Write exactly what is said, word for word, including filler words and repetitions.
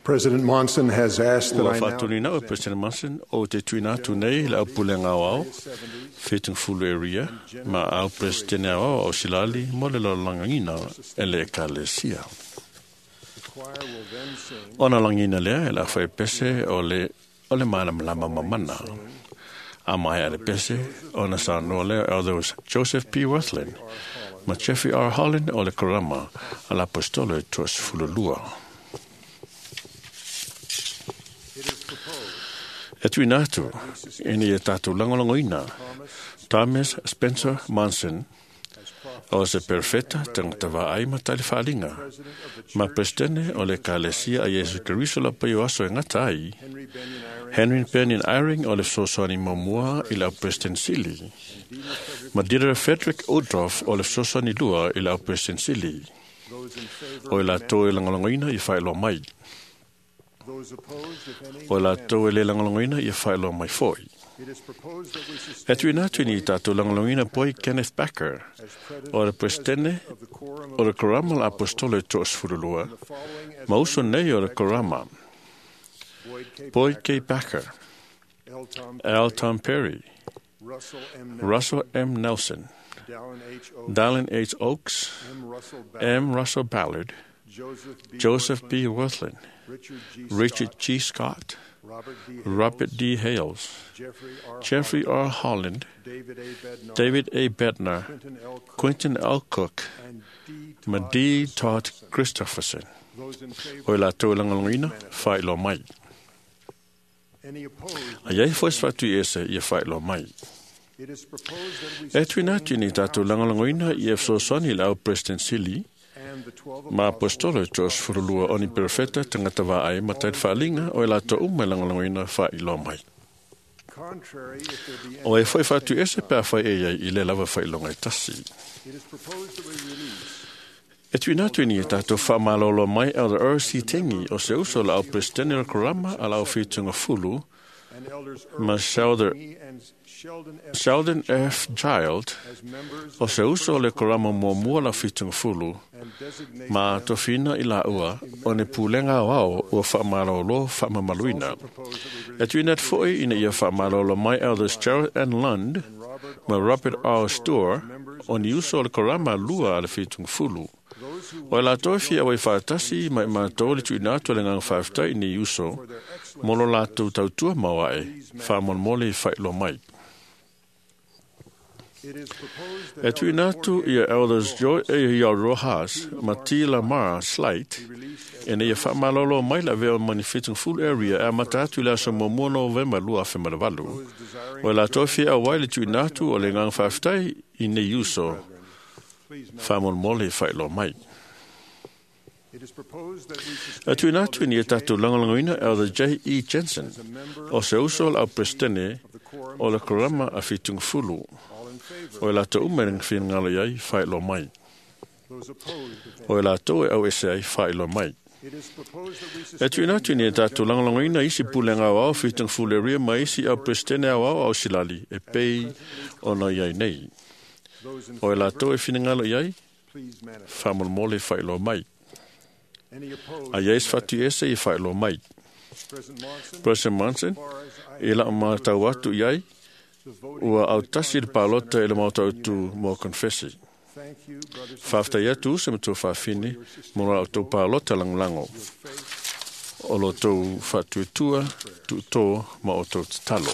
President Monson has asked that Ua I now whātoni nau e President Monson o te tuina atu nei le au pulenga o au, whitung fulu area, ma au President au au au silali mo le lalangina e le ekalesia. The choir will then sing Ona langina lea e la whai pese o le, o le malamalama mamana. A mai a le pese, ona sa noa lea Elders Joseph P. Wirthlin, ma Jeffrey R. Holland o le Korama, a la apostolo e tuas fululua. It is proposed E tuina atu, ina ia tātou langolangoina, Thomas Thomas Spencer Monson, as prophet o se perfeta tangata vaai ma tali whaalinga, president of the ma Church presidente o le kalesia a Yesu Keriso la paio aso e ngata ai, Henry Benyon Eyring Henry Benyon Eyring o le fesoasoani muamua i le au President Sili, Dieter Frederick ma Dieter Frederick Uchtdorf o le fesoasoani lua i le au President Sili, those in favor o i latou e lagolagoina ia faailoa mai, those opposed if any o i latou e le lagolagoina ia faailoa mai foi. It is proposed that we E sustain tuina atu ni tātou lagolagoina poi Kenneth Backer, as president o le Presidente of the Quorum of o le Korama la Apostolo e toasefululua, the following as ma uso nei o le Korama, Boyd K. Boyd K. Backer, L. Tom L. Tom Perry, Russell M. Nelson, Russell M. Nelson, Dallin H. Oaks, Dallin H. Oaks, M. Russell Ballard, M. Russell Ballard, Joseph B. Joseph Wirthlin, B. Wirthlin, Richard G. Richard Scott, G. Scott, Robert D. Hales, Robert D. Hales, Jeffrey R. Jeffrey R. Holland, David A. Bednar, David A. Bednar, Quentin L. Cook, Quentin L. Cook, and D. ma Todd D. Todd Christopherson. Those in favor, O i latou e lagolagoina, faailoa mai. any opposed, A iai foi se whatu i ese ia faailoa mai. It is proposed that we E tuina atu ni tātou lagolagoina i e fesoasoani i le au President Sili, and the twelve ma apostolo e toasefululua o ni perfeta tangata vaai ma tali whaalinga o i latou uma e lagolagoina faailoa mai. contrary, if there be any, O e foi whatu ese pea whai e iai i le lava whailonga e tasi. it is proposed that we release E tuina atu ni e tātou whaamalolo mai Elder R C. Tengi o se uso la au President o Korama a la au whitunga fulu, and elders ma Earl Sheldon, Tengi and Sheldon F. Sheldon F. Child as members o se uso o le Korama muamua la whitunga fulu, and designate ma tofina i la ua o ne pulenga o ao ua whaamalolo whaamamaluina. proposed that we E tuina atu foi ina ia whaamalolo mai Elders Gerald N. Lund release Robert ma Robert R. Storr o ni uso o le Korama lua a le whitunga fulu. those who O e latou e fia wai whaatasi mai mātou le tuina atu le nganga whaaftai ni uso for their excellent mo lo latou tautua mawae whaamolemole i whailoa mai. It is proposed that E tuina atu ia Elders Joy A. Ia Rojas ma T. Lamar Slight be released as e nei whaamalolo mai la veo mani whitung full area e amata atu i le aso muamua Novemba lua afe ma le valu. those desiring O e latou fia awai le tuina atu o le nganga whaaftai i nei uso please note whaamolemole i whailoa mai. It is proposed that we sustain E tuina atu ni e tātou langolangoina Elder J. E. Jensen as a member o se uso la au Presidente of the quorum o le Korama a whitung fulu. all in favor O e latou uma e ngawhingalo iai whailoa mai. those opposed if any. O e latou e au ese ai whailoa mai. It is proposed that we E sustain tuina atu ni e tātou langolangoina isi pulenga au au whitung fulu ria ma isi au Presidente au au au silali e pei ona iai nei. those in O e favor latou e whingalo iai please manifest whamolmole whailoa mai. any opposed A iais whatu ese i whailoa mai. President Monson President Monson, as far as I i la mātau atu iai, the voting ua in the au tasi le conference palota i le center mautau is tu mo confessi. Thank you, brothers and Whaftai sisters, atu se matua whawhine mo la autou palota langolango. your faith O lo tau whatuetua, tuto ma o tau tatalo.